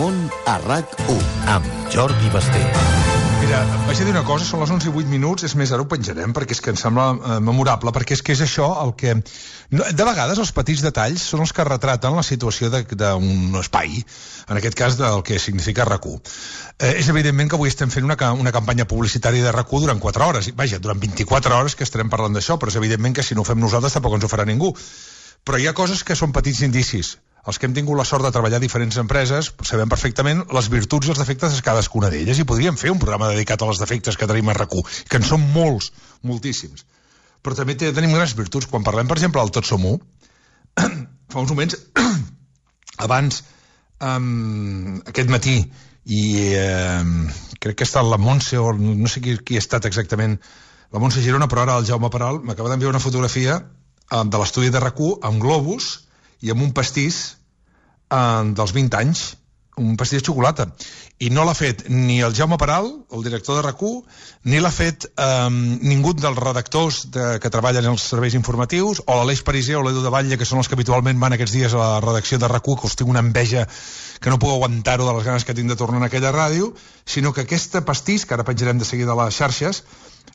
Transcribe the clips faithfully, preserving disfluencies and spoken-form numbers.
món a RAC u amb Jordi Basté. Mira, vaig a dir una cosa, són les onze i vuit minuts, és més, ara ho penjarem, perquè és que em sembla eh, memorable, perquè és que és això el que... De vegades els petits detalls són els que retraten la situació d'un espai, en aquest cas del que significa RAC u. Eh, és evidentment que avui estem fent una, una campanya publicitària de RAC u durant quatre hores, vaja, durant vint-i-quatre hores que estarem parlant d'això, però és evidentment que si no ho fem nosaltres tampoc ens ho farà ningú. Però hi ha coses que són petits indicis. Els que hem tingut la sort de treballar a diferents empreses sabem perfectament les virtuts i els defectes de cadascuna d'elles, i podríem fer un programa dedicat a les defectes que tenim a RAC u, que en són molts, moltíssims. Però també tenim grans virtuts. Quan parlem, per exemple, del Tots som u, fa uns moments, abans, um, aquest matí, i um, crec que ha estat la Montse, o no sé qui, qui ha estat exactament, la Montse Girona, però ara el Jaume Peral, m'acaba d'enviar una fotografia um, de l'estudi de RAC u amb globus i amb un pastís eh, dels vint anys, un pastís de xocolata. I no l'ha fet ni el Jaume Peral, el director de RAC u, ni l'ha fet eh, ningú dels redactors de, que treballen als serveis informatius, o l'Aleix Pariser o l'Edu de Batlle, que són els que habitualment van aquests dies a la redacció de RAC u, que us tinc una enveja que no puc aguantar-ho de les ganes que tinc de tornar a aquella ràdio, sinó que aquesta pastís, que ara penjarem de seguida a les xarxes,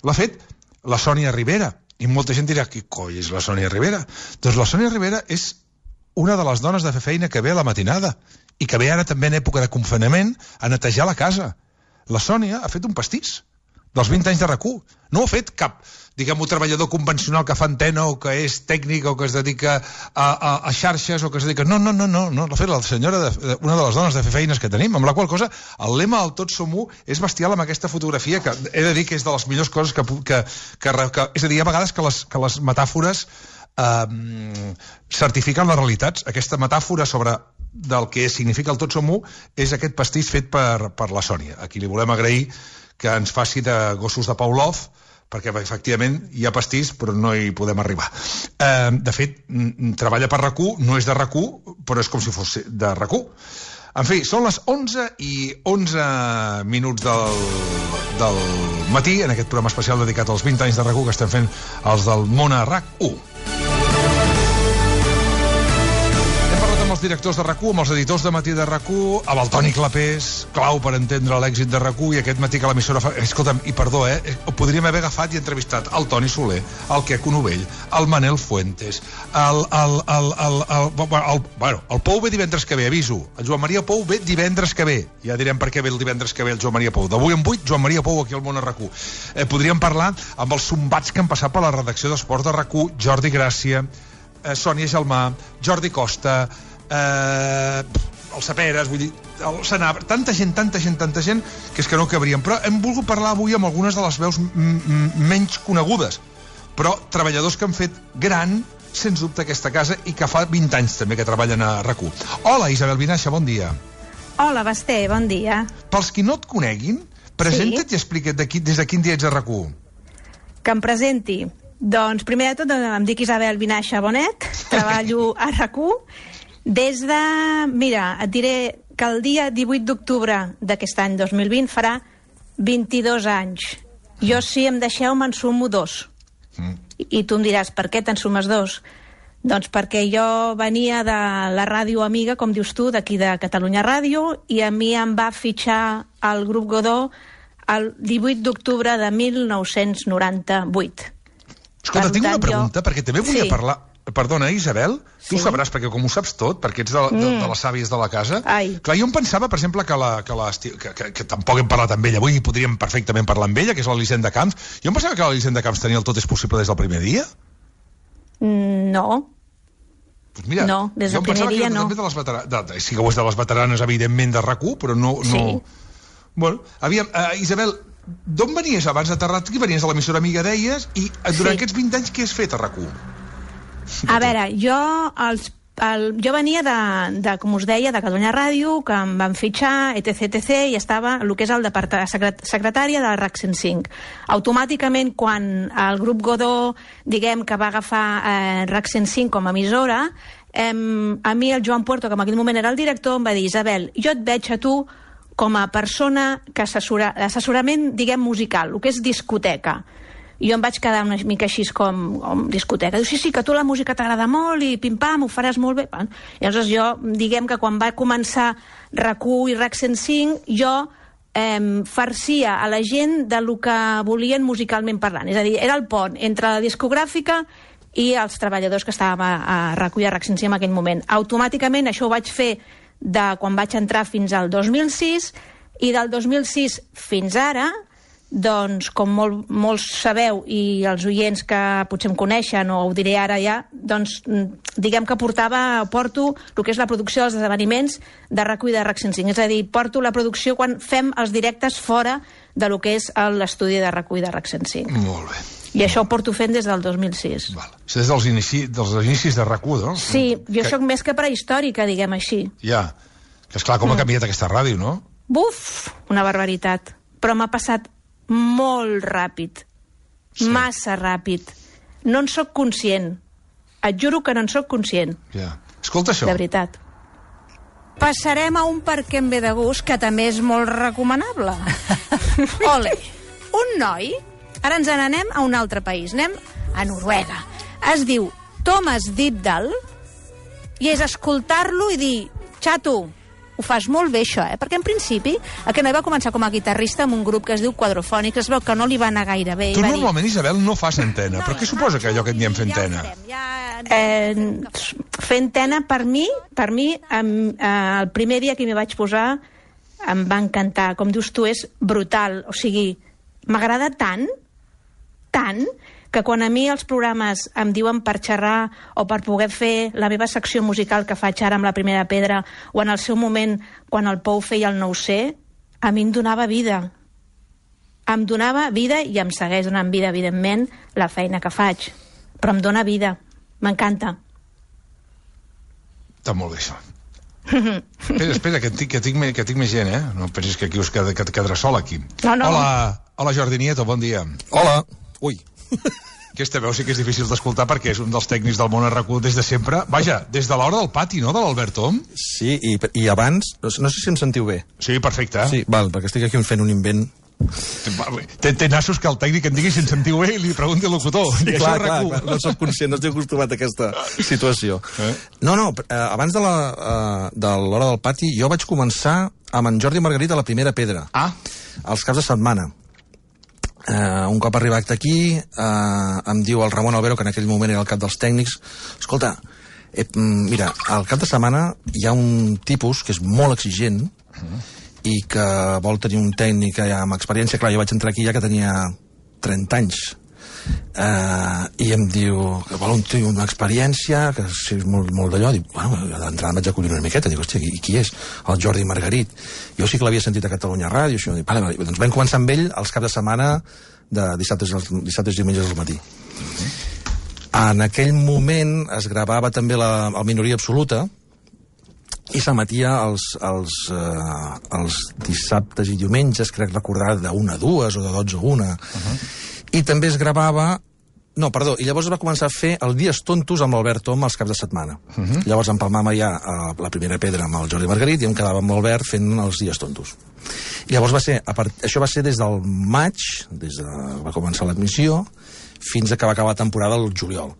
l'ha fet la Sònia Rivera. I molta gent dirà, qui coi és la Sònia Rivera? Doncs la Sònia Rivera és una de les dones de fer feina que ve a la matinada i que ve ara també en època de confinament a netejar la casa. La Sònia ha fet un pastís dels vint anys de RAC u. No ho ha fet cap, diguem-ho, treballador convencional que fa antena o que és tècnic o que es dedica a, a, a xarxes o que es dedica... No, no, no, no, no. L'ha fet la senyora, de, una de les dones de fer feines que tenim, amb la qual cosa el lema del Tots som u és bestial amb aquesta fotografia, que he de dir que és de les millors coses que... que, que, que és a dir, hi ha vegades que les, que les metàfores Uh, certifiquen les realitats. Aquesta metàfora sobre del que significa el Tots som u és aquest pastís fet per, per la Sònia, a qui li volem agrair que ens faci de gossos de Pavlov, perquè efectivament hi ha pastís però no hi podem arribar. Uh, de fet, treballa per RAC u, no és de RAC u, però és com si fos de RAC u. En fi, són les onze i onze minuts del, del matí, en aquest programa especial dedicat als vint anys de RAC u que estem fent els del món a RAC u. Els directors de RAC u, amb els editors de Matí de RAC u, amb el Toni Clapés, clau per entendre l'èxit de RAC u, i aquest matí que l'emissora fa... Escolta'm, i perdó, eh? Podríem haver agafat i entrevistat el Toni Soler, el Queco Novell, el Manel Fuentes, el... el, el, el, el, el, el bueno, el Pou ve divendres que ve, aviso. El Joan Maria Pou ve divendres que ve. Ja direm per què ve el divendres que ve el Joan Maria Pou. D'avui en vuit, Joan Maria Pou aquí al món a RAC u. Eh, podríem parlar amb els sombats que han passat per la redacció d'esports de RAC u, Jordi Gràcia, eh, Sònia Gelmà, Jordi Costa... Uh, els Saperes, vull dir, el Senabre, tanta gent, tanta gent, tanta gent, que és que no cabríem. Però hem volgut parlar avui amb algunes de les veus menys conegudes, però treballadors que han fet gran, sens dubte, aquesta casa, i que fa vint anys també que treballen a RAC u. Hola, Isabel Vinaixa, bon dia. Hola, Basté, bon dia. Pels qui no et coneguin, presenta't sí. I explica't de qui, des de quin dia ets a RAC u. Que em presenti. Doncs, primer de tot, em dic Isabel Vinaixa Bonet, treballo a RAC u. Des de... Mira, et diré que el dia divuit d'octubre d'aquest any dos mil vint farà vint-i-dos anys. Jo, si em deixeu, me'n sumo dos. Mm. I, I tu em diràs, per què te'n sumes dos? Doncs perquè jo venia de la ràdio amiga, com dius tu, d'aquí de Catalunya Ràdio, i a mi em va fitxar el grup Godó el divuit d'octubre de mil nou-cents noranta-vuit. Escolta, per tinc tant, una pregunta, jo... perquè també volia sí. parlar... Perdona, Isabel, tu sí. Sabràs, perquè com ho saps tot, perquè ets de, de, de les sàvies de la casa... Ai. Clar, jo em pensava, per exemple, que, la, que, la, que, que, que tampoc hem parlat amb ella, avui podríem perfectament parlar amb ella, que és l'Elisenda Camps. Jo em pensava que l'Elisenda Camps tenia el Tot és possible des del primer dia. No. Pues mira, no, des del primer dia no. De les veteranes, de, de, sí que ho és de les veteranes, evidentment, de RAC u, però no... no... Sí. Bueno, aviam, uh, Isabel, d'on venies abans de Terrat? Qui venies de l'emissora amiga, deies, i durant sí. aquests vint anys què has fet a RAC u? A veure, jo els, el, jo venia de, de, com us deia, de Catalunya Ràdio, que em van fitxar, etc, etc, i estava el que és el departament secret, secretària del RAC cent cinc. Automàticament, quan el grup Godó, diguem, que va agafar eh, RAC cent cinc com a emissora, eh, a mi el Joan Puerto, que en aquell moment era el director, em va dir, Isabel, jo et veig a tu com a persona que assessora, assessorament, diguem, musical, el que és discoteca. jo em vaig quedar una mica així com, com discoteca. Diu, sí, sí, que tu la música t'agrada molt i pim-pam, ho faràs molt bé. Bueno, llavors jo, diguem que quan va començar RAC1 i RAC cent cinc, jo eh, farcia a la gent del que volien musicalment parlant. És a dir, era el pont entre la discogràfica i els treballadors que estàvem a, a RAC1 i a RAC cent cinc en aquell moment. Automàticament això ho vaig fer de quan vaig entrar fins al dos mil sis, i del dos mil sis fins ara, doncs, com molt, molts sabeu, i els oients que potser em coneixen, o ho diré ara ja, doncs, diguem que portava, porto el que és la producció dels esdeveniments de RAC1 i de RAC cent cinc. És a dir, porto la producció quan fem els directes fora de lo que és l'estudi de RAC1 i de RAC cent cinc. Molt bé. I això ho porto fent des del dos mil sis. Val. Això des dels, inici, dels inicis de RAC1, no? Sí, jo que... sóc més que prehistòrica, diguem així. Ja, que esclar, com ha canviat aquesta ràdio, no? Buf, una barbaritat. Però m'ha passat molt ràpid, sí. Massa ràpid. No en sóc conscient. Et juro que no en sóc conscient. Ja. Escolta això. De veritat. Passarem a un per què em ve de gust, que també és molt recomanable. Ole, un noi, ara ens n'anem a un altre país, anem a Noruega. Es diu Thomas Dybdahl i és escoltar-lo i dir, xato, ho fas molt bé això, eh? Perquè en principi aquest noi va començar com a guitarrista en un grup que es diu Quadrophonics, es veu que no li va anar gaire bé. Tu va normalment, dir... Isabel, no fas antena, no, però què suposa que allò que en diem fer antena? Ja, ja... Eh, fer antena, per mi, per mi em, eh, el primer dia que m'hi vaig posar em va encantar. Com dius tu, és brutal. O sigui, m'agrada tant, tant, que quan a mi els programes em diuen per xerrar o per poder fer la meva secció musical que faig ara amb La Primera Pedra, o en el seu moment, quan el Pou feia el No ho sé, a mi em donava vida. Em donava vida i em segueix donant vida, evidentment, la feina que faig. Però em dona vida. M'encanta. Està molt bé, això. espera, espera, que tinc, que, tinc, que tinc més gent, eh? No pensis que aquí us qued, que et quedarà sol, aquí. No, no. Hola, hola Jordi Nieto, bon dia. Hola. Ui. Aquesta veu sí que és difícil d'escoltar perquè és un dels tècnics del món a RAC1 des de sempre. Vaja, des de l'hora del pati, no?, de l'Albert Om. Sí, i, i abans, no sé si em sentiu bé. Sí, perfecte. Sí, val, perquè estic aquí fent un invent. Té, té nassos que el tècnic em digui si em sentiu bé i li pregunti al locutor. Sí, clar, clar, clar, no soc conscient, no estic acostumat a aquesta situació. Eh? No, no, eh, abans de l'hora de l'hora del pati jo vaig començar amb en Jordi Margarit a La Primera Pedra. Ah. Els caps de setmana. Uh, un cop arribat aquí uh, em diu el Ramon Albero, que en aquell moment era el cap dels tècnics, escolta, eh, mira, al cap de setmana hi ha un tipus que és molt exigent uh-huh. i que vol tenir un tècnic ja amb experiència. Clar, jo vaig entrar aquí ja que tenia trenta anys uh, i em diu que vol un tio amb experiència, que si és molt, molt d'allò. Dic, bueno, d'entrada em vaig acollir una miqueta, dic, hòstia, qui, qui és? El Jordi Margarit. Jo sí que l'havia sentit a Catalunya Ràdio, això. Dic, vale, vale. Doncs vam començar amb ell els caps de setmana de dissabtes, dissabtes i diumenges al matí. En aquell moment es gravava també la, la Minoria Absoluta i s'emetia els, els, eh, els dissabtes i diumenges, crec recordar, d'una a dues o de dotze a una. Uh-huh. I també es gravava... No, perdó, i llavors es va començar a fer els Dies Tontos amb l'Albert Om els caps de setmana. Uh-huh. Llavors empalmava ja a La Primera Pedra amb el Jordi Margarit i em quedava amb l'Albert fent els Dies Tontos. I llavors va ser, a part, això va ser des del maig, des de va començar l'admissió, fins a que va acabar la temporada el juliol.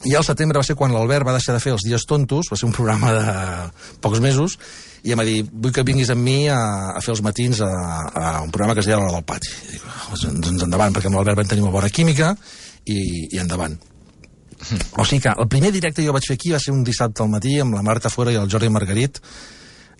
I al setembre va ser quan l'Albert va deixar de fer els Dies Tontos, va ser un programa de pocs mesos, i em va dir, vull que vinguis amb mi a, a fer els matins a, a un programa que es deia L'Hora del Pati. I dic, doncs endavant, perquè amb l'Albert vam tenir una bona química, i, i endavant. Mm. O sigui que el primer directe que jo vaig fer aquí va ser un dissabte al matí amb la Marta Fora i el Jordi Margarit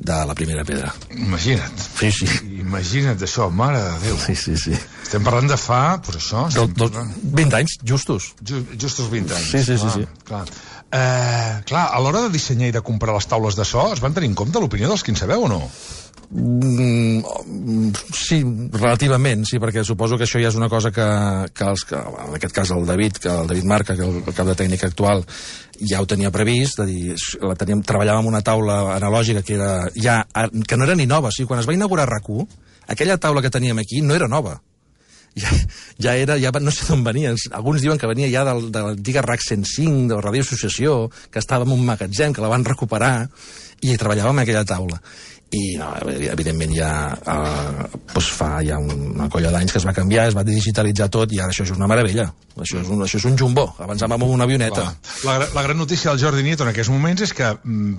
de La Primera Pedra. Imagina't. Sí, sí. Imagina't això, mare de Déu. Sí, sí, sí. Estem parlant de fa, pues això... Del, del, vint anys, justos. Just, justos vint anys. Sí, sí, clar, sí. sí. Clar. Eh, clar, a l'hora de dissenyar i de comprar les taules de so, es van tenir en compte l'opinió dels que en sabeu o no? Mm, sí, relativament, sí, perquè suposo que això ja és una cosa que, que, els, que en aquest cas el David, que el David Marca, que el, el cap de tècnica actual, ja ho tenia previst, de dir, la teníem, treballàvem amb una taula analògica que, era, ja, que no era ni nova. O sigui, quan es va inaugurar RAC1, aquella taula que teníem aquí no era nova. Ja, ja era, ja no sé d'on venia. Alguns diuen que venia ja del, de l'antiga RAC cent cinc, de la Radio Associació, que estava en un magatzem, que la van recuperar, i treballàvem en aquella taula. i no, evidentment ja eh, doncs fa ja una colla d'anys que es va canviar, es va digitalitzar tot i ara això és una meravella, això és un, això és un jumbo, abans anàvem amb una avioneta. La, la gran notícia del Jordi Nieto en aquests moments és que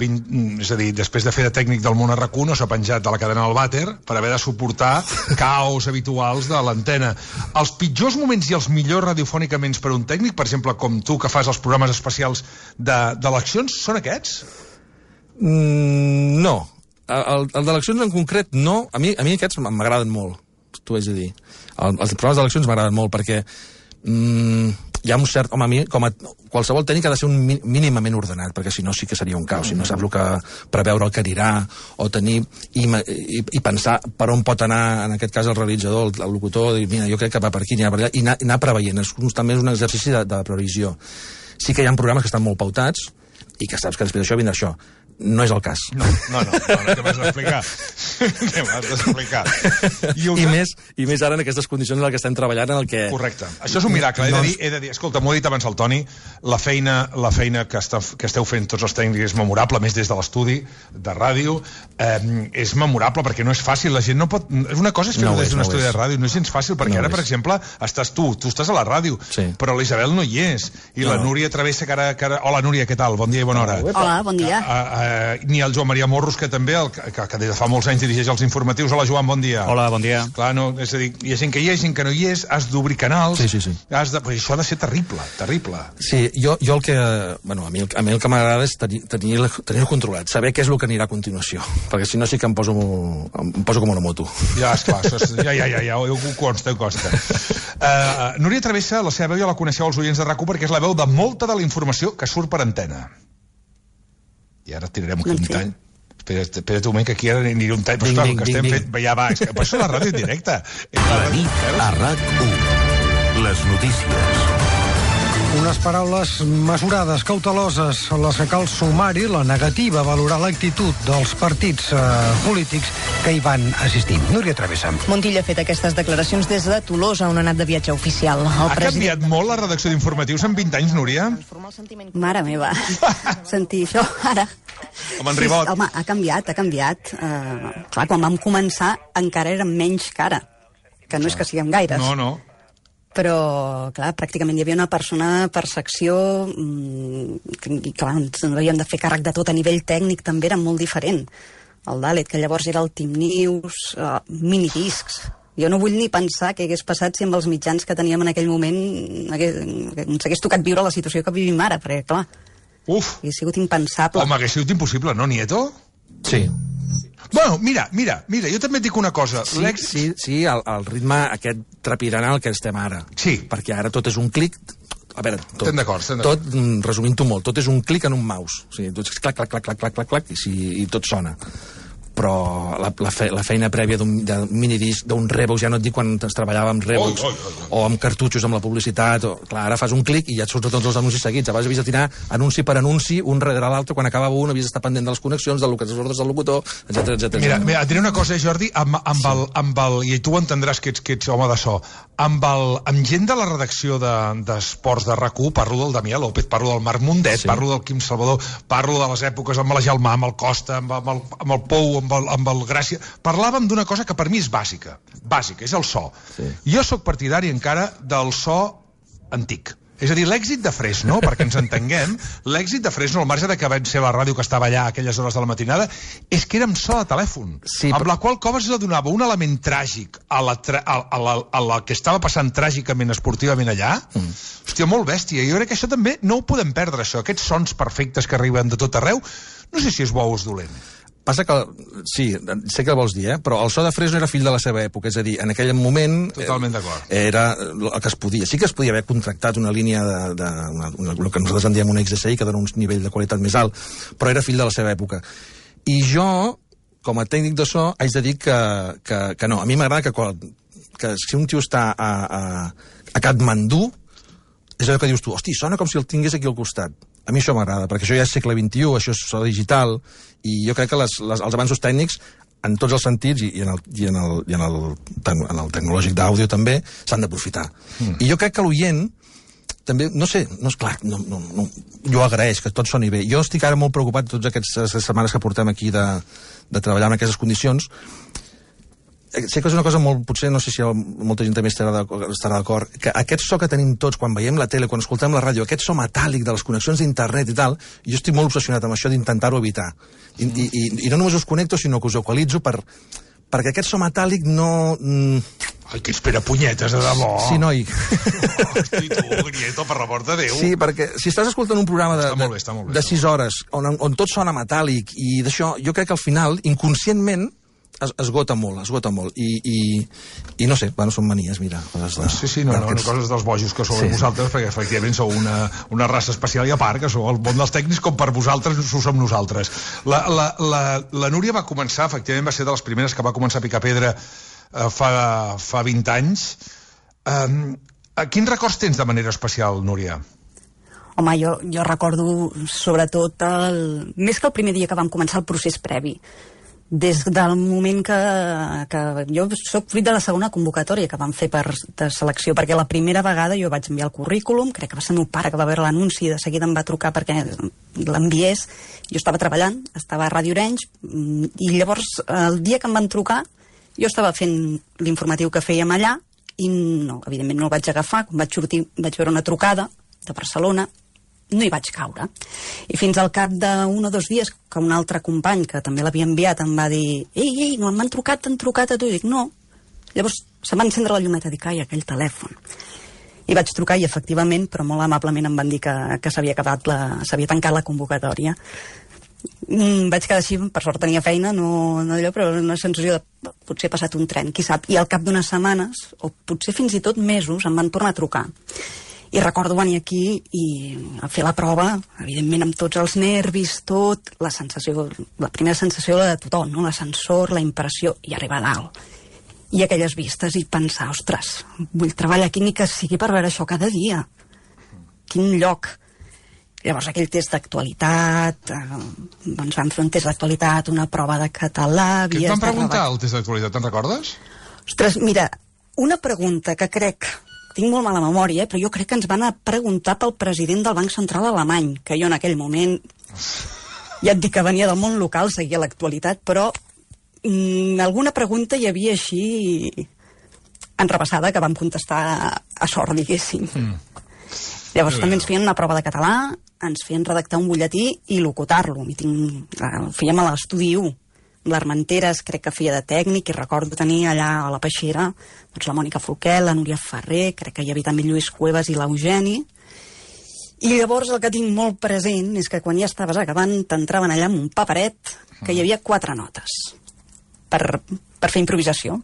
vint, és a dir, després de fer de tècnic del Món a RAC u no s'ha penjat de la cadena del vàter per haver de suportar caos habituals de l'antena. Els pitjors moments i els millors radiofònicament per un tècnic, per exemple, com tu que fas els programes especials d'eleccions, són aquests? Mm, no. El, el d'eleccions en concret no, a mi, a mi aquests m'agraden molt, t'ho haig de dir. El, els programes d'eleccions m'agraden molt perquè mm, hi ha un cert... Home, a mi, com a qualsevol tècnic ha de ser un mínimament ordenat, perquè si no sí que seria un caos, si no saps el que preveure el que anirà, o tenir i, i, i pensar per on pot anar, en aquest cas el realitzador, el, el locutor, dir, mira, jo crec que va per aquí, anirà per allà, i anar, anar preveient, és constantment un exercici de, de previsió. Sí que hi ha programes que estan molt pautats, i que saps que després d'això vindrà això. No és el cas. No, no, no, no, no què m'has d'explicar? Què m'has d'explicar? I, I, més, I més ara en aquestes condicions en què estem treballant, en el que... Correcte. Això és un miracle. He de dir, he de dir escolta, m'ho ha dit abans el Toni, la feina, la feina que, està, que esteu fent tots els tècnics és memorable, més des de l'estudi de ràdio, eh, és memorable perquè no és fàcil, la gent no pot... Una cosa és fer-ho no des d'un no estudi és. de ràdio, no és gens fàcil, perquè no ara, per exemple, estàs tu, tu estàs a la ràdio, sí. però l'Isabel no hi és, i no. la Núria Travessa, que ara, que ara... Hola, Núria, què tal? Bon dia i bona hora. Hola, bon dia. A, a, a, ni el Joan Maria Morros, que també, el, que, que des de fa molts anys dirigeix els informatius. Hola, Joan, bon dia. Hola, bon dia. Clar, no, és a dir, hi ha gent que hi ha, gent que no hi és, has d'obrir canals, sí, sí, sí. Has de, pues això ha de ser terrible, terrible. Sí, jo, jo el que... Bueno, a mi el, a mi el que m'agrada és tenir, tenir, tenir controlat, saber què és el que anirà a continuació, perquè si no sí que em poso, em poso com una moto. Ja, esclar, això és, ja, ja, ja, ja, ho consta, ho consta. Uh, Núria Travessa, la seva veu ja la coneixeu els oients de RAC u perquè és la veu de molta de la informació que surt per antena. I ara tirarem un no, tall. Espera't, espera't un moment, que aquí ara aniré un tall. Però esclar, el que estem fent... Ja va, és que per això la ràdio en directe. La nit a RAC u. Les notícies. Unes paraules mesurades, cauteloses, les que cal sumar-hi la negativa a valorar l'actitud dels partits eh, polítics que hi van assistir. Núria Travessa. Montilla ha fet aquestes declaracions des de Tolosa, on ha anat de viatge oficial. El ha president... canviat molt la redacció d'informatius en vint anys, Núria? Mare meva, sentir això ara... Com en Ribot. Sí, home, ha canviat, ha canviat. Uh, clar, quan vam començar encara érem menys cara, que no és que siguem gaires. No, no. Però, clar, pràcticament hi havia una persona per secció mmm, i, clar, ens havíem de fer càrrec de tot a nivell tècnic, també era molt diferent. El Dalet, que llavors era el Team News, uh, minidiscs. Jo no vull ni pensar què hagués passat si amb els mitjans que teníem en aquell moment hagués, ens hagués tocat viure la situació que vivim ara, perquè, clar, Uf. hauria sigut impensable. Home, hagués sigut impossible, no, Nieto? Sí. Bueno, mira, mira, mira, jo també et dic una cosa. Sí, sí, sí el, el ritme aquest trepidant al que estem ara. Sí. Perquè ara tot és un clic... A veure, tot, estem d'acord, estem d'acord. Tot, resumint-ho molt, tot és un clic en un mouse. O sigui, tot és clac, clac, clac, clac, clac, clac, clac, i, si, i tot sona. Però la, la, fe, la feina prèvia d'un minidisc, d'un Revox, ja no et dic quan es treballava amb Revox, oi, oi, oi. o amb cartutxos amb la publicitat, o, clar, ara fas un clic i ja et surten tots els anuncis seguits. Abans havies de tirar anunci per anunci, un darrere l'altre, quan acabava un havies d'estar pendent de les connexions, de les ordres del locutor, etcètera, etcètera. Mira, mira, et diré una cosa, Jordi, amb, amb, sí. el, amb el, i tu entendràs que ets, que ets home de so, amb, el, amb gent de la redacció d'esports de, de RAC u, parlo del Damià López, parlo del Marc Mundet, sí. parlo del Quim Salvador, parlo de les èpoques amb la Gelmà, amb el Costa, amb, amb, el, amb el Pou, amb el, amb el Gràcia. Parlàvem d'una cosa que per mi és bàsica, bàsica, és el so. Sí. Jo sóc partidari encara del so antic. És a dir, l'èxit de Fresno, perquè ens entenguem, l'èxit de Fresno, al marge de que va ser la ràdio que estava allà a aquelles hores de la matinada, és que érem so de telèfon, sí, amb però... la qual cosa es donava un element tràgic a la, tra... a, la, a la que estava passant tràgicament, esportivament allà. Mm. Hòstia, molt bèstia. Jo crec que això també no ho podem perdre, això. Aquests sons perfectes que arriben de tot arreu, no sé si és bo o és dolent. Passa que, sí, sé què vols dir, eh? Però el so de Fresno era fill de la seva època, és a dir, en aquell moment... Totalment d'acord. Era el que es podia. Sí que es podia haver contractat una línia de... de una, una, el que nosaltres en diem un X S I, que dona un nivell de qualitat més alt, però era fill de la seva època. I jo, com a tècnic de so, haig de dir que, que, que no. A mi m'agrada que, que si un tio està a, a, a Katmandú, és allò que dius tu, hosti, sona com si el tingués aquí al costat. A mi això m'agrada, perquè això ja és segle vint-i-u, això és so digital, i jo crec que les, les, els avanços tècnics, en tots els sentits, i, i, en, el, i, en, el, i en, el, en el tecnològic d'àudio també, s'han d'aprofitar. Mm. I jo crec que l'oient, també, no sé, no és clar, no, no, no, jo agraeix que tot soni bé. Jo estic ara molt preocupat totes aquestes setmanes que portem aquí de, de treballar en aquestes condicions. Sé que és una cosa molt... Potser no sé si molta gent també estarà d'acord, que aquest so que tenim tots quan veiem la tele, quan escoltem la ràdio, aquest so metàl·lic de les connexions d'internet i tal, jo estic molt obsessionat amb això d'intentar-ho evitar. I, i, i, I no només us connecto, sinó que us equalitzo per, perquè aquest so metàl·lic no... Ai, que espera punyetes, de debò. Sí, noi. Hosti, tu, Grieto, per l'amor de Déu. Sí, perquè si estàs escoltant un programa de, bé, bé, de sis hores, on, on tot sona metàl·lic i d'això, jo crec que al final, inconscientment, es, esgota molt, esgota molt. I, i, i no sé, bueno, són manies, mira. Coses de, sí, sí, no, no, no, coses dels bojos que sou sí. vosaltres, perquè efectivament sou una, una raça especial i a part, que sou el món dels tècnics com per vosaltres ho som nosaltres. La, la, la, la Núria va començar, efectivament va ser de les primeres que va començar a picar pedra eh, fa, fa vint anys. Um, quins records tens de manera especial, Núria? Home, jo, jo recordo sobretot el, més que el primer dia que vam començar el procés previ. Des del moment que, que jo soc fruit de la segona convocatòria que vam fer per de selecció, perquè la primera vegada jo vaig enviar el currículum, crec que va ser el meu pare que va veure l'anunci, de seguida em va trucar perquè l'enviés. Jo estava treballant, estava a Ràdio Arenys, i llavors el dia que em van trucar jo estava fent l'informatiu que fèiem allà i no, evidentment no el vaig agafar. Quan vaig sortir vaig veure una trucada de Barcelona, no hi vaig caure. I fins al cap d'un o dos dies que un altre company, que també l'havia enviat, em va dir: ei, ei, no m'han trucat, t'han trucat a tu. I dic, no. Llavors se'm va encendre la llumeta, dic, ai, aquell telèfon. I vaig trucar i efectivament, però molt amablement em van dir que, que s'havia acabat la, s'havia tancat la convocatòria. Mm, vaig quedar així, per sort tenia feina, no, no allò, però una sensació de potser he passat un tren, qui sap. I al cap d'unes setmanes, o potser fins i tot mesos, em van tornar a trucar. I recordo venir aquí i a fer la prova, evidentment amb tots els nervis, tot, la sensació, la primera sensació de tothom, no? L'ascensor, la impressió, i arribar a dalt. I aquelles vistes i pensar, ostres, vull treballar aquí ni que sigui per veure això cada dia. Quin lloc. Llavors aquell test d'actualitat, eh, doncs vam fer un test d'actualitat, una prova de català... Què et van preguntar al test d'actualitat, te'n recordes? Ostres, mira, una pregunta que crec... Tinc molt mala memòria, eh? Però jo crec que ens van a preguntar pel president del Banc Central Alemany, que jo en aquell moment, ja et dic que venia del món local, seguia l'actualitat, però mm, alguna pregunta hi havia així enrepassada que vam contestar a sort, diguéssim. Mm. Llavors també ens feien una prova de català, ens feien redactar un butlletí i locutar-lo. Ho fèiem a l'estudi u. l'Armenteres crec que feia de tècnic, i recordo tenir allà a la Peixera doncs la Mònica Folquel, la Núria Ferrer, crec que hi havia també Lluís Cuevas i l'Eugeni. I llavors el que tinc molt present és que quan ja estaves acabant t'entraven allà amb un paperet que hi havia quatre notes per, per fer improvisació.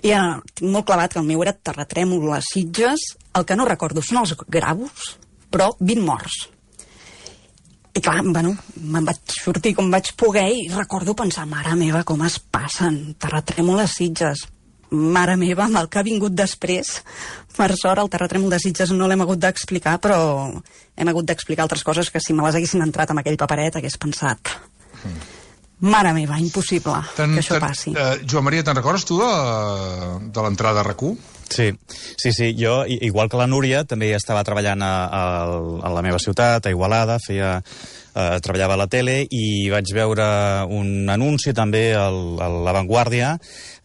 I ja tinc molt clavat que el meu era Terratrèmol, les Sitges, el que no recordo són els gravos, però vint morts. I clar, bueno, me'n vaig sortir com vaig poder i recordo pensar, mare meva, com es passen, Terratrèmol a Sitges, mare meva, amb el que ha vingut després. Per sort, el terratrèmol de Sitges no l'hem hagut d'explicar, però hem hagut d'explicar altres coses que si me les haguessin entrat amb aquell paperet hagués pensat, mare meva, impossible ten, que això ten, passi. Uh, Joan Maria, te'n recordes tu de, de l'entrada a RAC u? Sí, sí, sí, jo, igual que la Núria, també estava treballant a, a, a la meva ciutat, a Igualada, feia, eh, treballava a la tele, i vaig veure un anunci també a La Vanguardia.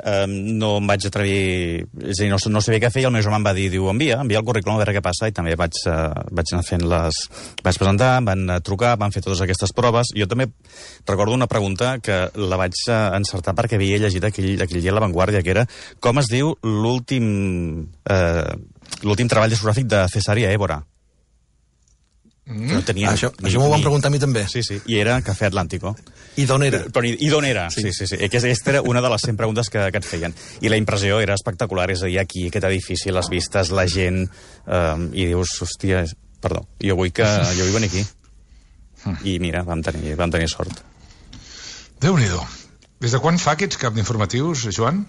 Eh, no em vaig atrevir, és a dir, no, no sabia què fer, i el meu germà em va dir, diu, envia, envia el currículum a veure què passa, i també vaig, eh, vaig anar fent les... Vaig presentar, van trucar, van fer totes aquestes proves. Jo també recordo una pregunta que la vaig encertar perquè havia llegit aquell, aquell dia a La Vanguardia, que era com es diu l'últim eh, l'últim treball discogràfic de Cesària Évora. Mm. No tenia, això ni, això m'ho van preguntar a mi també. Sí, sí, i era Café Atlántico. I d'on era? Però, i d'on era? Sí, sí, sí. sí. Aquesta era una de les cent preguntes que, que et feien. I la impressió era espectacular, és a dir, aquí, aquest edifici, les vistes, la gent, eh, i dius, hòstia, perdó, jo vull, que, jo vull venir aquí. I mira, vam tenir, vam tenir sort. Déu-n'hi-do. Des de quan fa aquests cap d'informatius, Joan?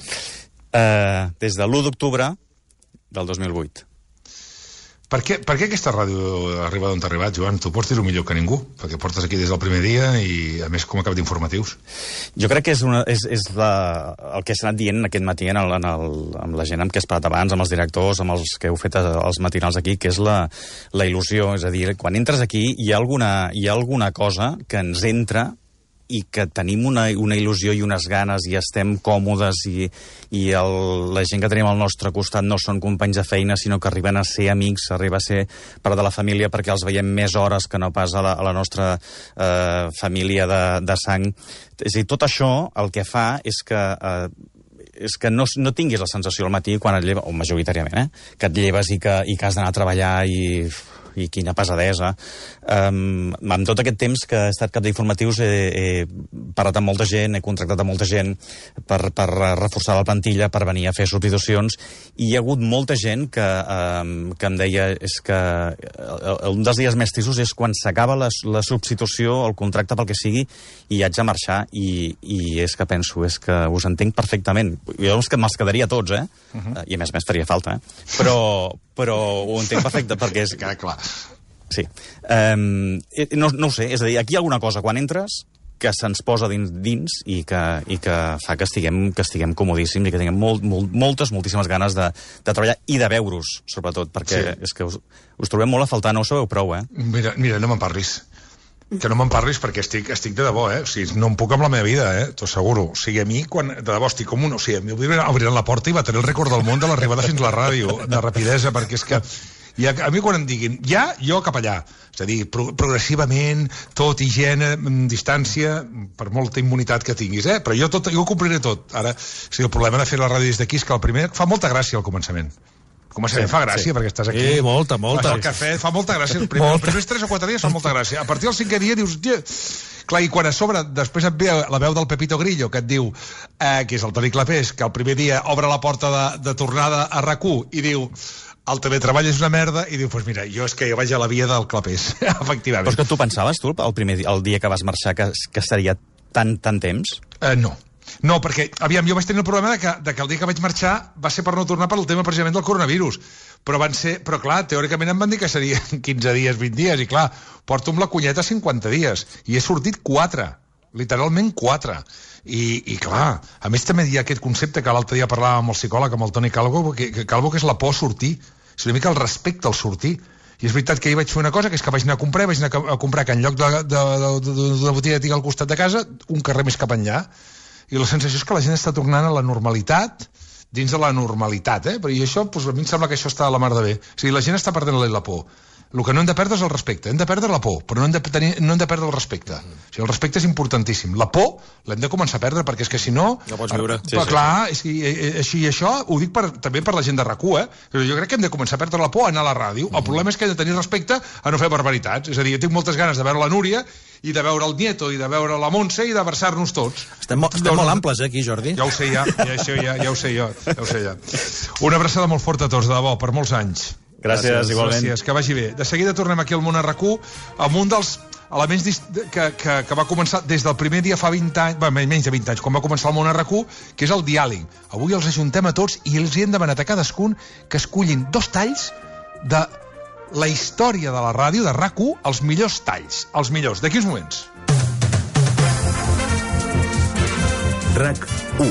Uh, des de l'u d'octubre del dos mil vuit. Per què, per què aquesta ràdio arriba d'on t'ha arribat, Joan? Tu pots dir-ho millor que ningú, perquè portes aquí des del primer dia i, a més, com a cap d'informatius. Jo crec que és, una, és, és la, el que s'ha anat dient aquest matí en el, en el, amb la gent amb què has parlat abans, amb els directors, amb els que heu fet els matinals aquí, que és la, la il·lusió. És a dir, quan entres aquí hi ha alguna, hi ha alguna cosa que ens entra i que tenim una, una il·lusió i unes ganes i estem còmodes i, i el, la gent que tenim al nostre costat no són companys de feina, sinó que arriben a ser amics, arriba a ser part de la família perquè els veiem més hores que no pas a la, a la nostra eh, família de, de sang. És a dir, tot això el que fa és que... Eh, és que no, no tinguis la sensació al matí quan et lleves, o majoritàriament, eh? que et lleves i que, i que has d'anar a treballar i... i quina pesadesa. Um, amb tot aquest temps que he estat cap d'informatius he, he parlat amb molta gent, he contractat a molta gent per, per reforçar la plantilla, per venir a fer substitucions, i hi ha hagut molta gent que, um, que em deia és que un dels dies més tristos és quan s'acaba la, la substitució, el contracte pel que sigui, i haig de marxar, i, i és que penso, és que us entenc perfectament. Jo és que me'ls quedaria tots, eh? Uh-huh. I a més a més faria falta, eh? Però, però ho entenc perfecte, perquè és... Queda clar. Sí. Um, no, no ho sé, és a dir, aquí hi ha alguna cosa quan entres que se'ns posa dins, dins i, que, i que fa que estiguem, que estiguem comodíssims i que tinguem molt, molt, moltes, moltíssimes ganes de, de treballar i de veure-us, sobretot, perquè sí. És que us, us trobem molt a faltar, no ho sabeu prou, eh? Mira, mira no me'n parlis. Que no me'n parlis perquè estic, estic de debò, eh? O sigui, no em puc amb la meva vida, eh? T'ho asseguro. O sigui, a mi, quan, de debò, estic com un... O sigui, obriran la porta i va tenir el rècord del món de l'arribada fins a la ràdio, de rapidesa, perquè és que... I a, a mi quan em diguin, ja, jo cap allà. És a dir, pro, progressivament, tot, higiene, distància, per molta immunitat que tinguis, eh? Però jo, tot, jo ho compliré tot. Ara, o sigui, el problema de fer la ràdio des d'aquí és que el primer fa molta gràcia al començament. Començament sí, fa gràcia, sí. Perquè estàs aquí. Sí, molta, molta. El cafè fa molta gràcia. El primer, els primers tres o quatre dies fa molta gràcia. A partir del cinquè dia dius... Yeah. Clar, i quan a sobre després et ve la veu del Pepito Grillo, que et diu, eh, que és el Toni Clapés, que el primer dia obre la porta de, de tornada a RAC u i diu... El teletreball és una merda, i diu, doncs pues mira, jo és que jo vaig a la via del Clapés, efectivament. Però és que tu pensaves, tu, el, primer dia, el dia que vas marxar, que, que estaria tant, tant temps? Uh, no. No, perquè, aviam, jo vaig tenir el problema de que, de que el dia que vaig marxar va ser per no tornar per el tema precisament del coronavirus. Però van ser, però clar, teòricament em van dir que serien quinze dies, vint dies, i clar, porto amb la cunyeta cinquanta dies, i he sortit quatre, literalment quatre. I, i clar, a més també hi ha aquest concepte que l'altre dia parlàvem amb el psicòleg, amb el Toni Calvo, que, que Calvo, que és la por a sortir, és una mica el respecte al sortir. I és veritat que ahir vaig fer una cosa, que és que vaig anar a comprar, vaig anar a comprar que en lloc d'una de, de, de, de, de botiga que tinc al costat de casa, un carrer més cap enllà, i la sensació és que la gent està tornant a la normalitat, dins de la normalitat, eh? I això, doncs, a mi em sembla que això està a la mar de bé. O sigui, la gent està perdent la por. El que no hem de perdre és el respecte, hem de perdre la por, però no hem de, tenir, no hem de perdre el respecte. O sigui, el respecte és importantíssim. La por l'hem de començar a perdre, perquè és que si no... No pots viure. Sí, sí, clar, sí. Així i això ho dic per, també per la gent de RAC u, eh? Però jo crec que hem de començar a perdre la por a anar a la ràdio. Mm. El problema és que hem de tenir respecte a no fer barbaritats. És a dir, jo tinc moltes ganes de veure la Núria i de veure el Nieto i de veure la Montse i d'abraçar-nos tots. Estem, mo estem doncs, molt amples, eh, aquí, Jordi. Ja ho sé, ja. Ja, això, ja, ja ho sé jo. Ja ho sé, ja. Una abraçada molt forta a tots, de debò, per molts anys. Gràcies, gràcies, igualment. Gràcies, que vagi bé. De seguida tornem aquí al món a RAC u amb un dels elements que, que, que va començar des del primer dia fa vint anys, bé, menys de vint anys, quan va començar el món a RAC u, que és el diàleg. Avui els ajuntem a tots i els hi hem demanat a cadascun que escullin dos talls de la història de la ràdio, de RAC u, els millors talls, els millors. D'aquí uns moments. RAC u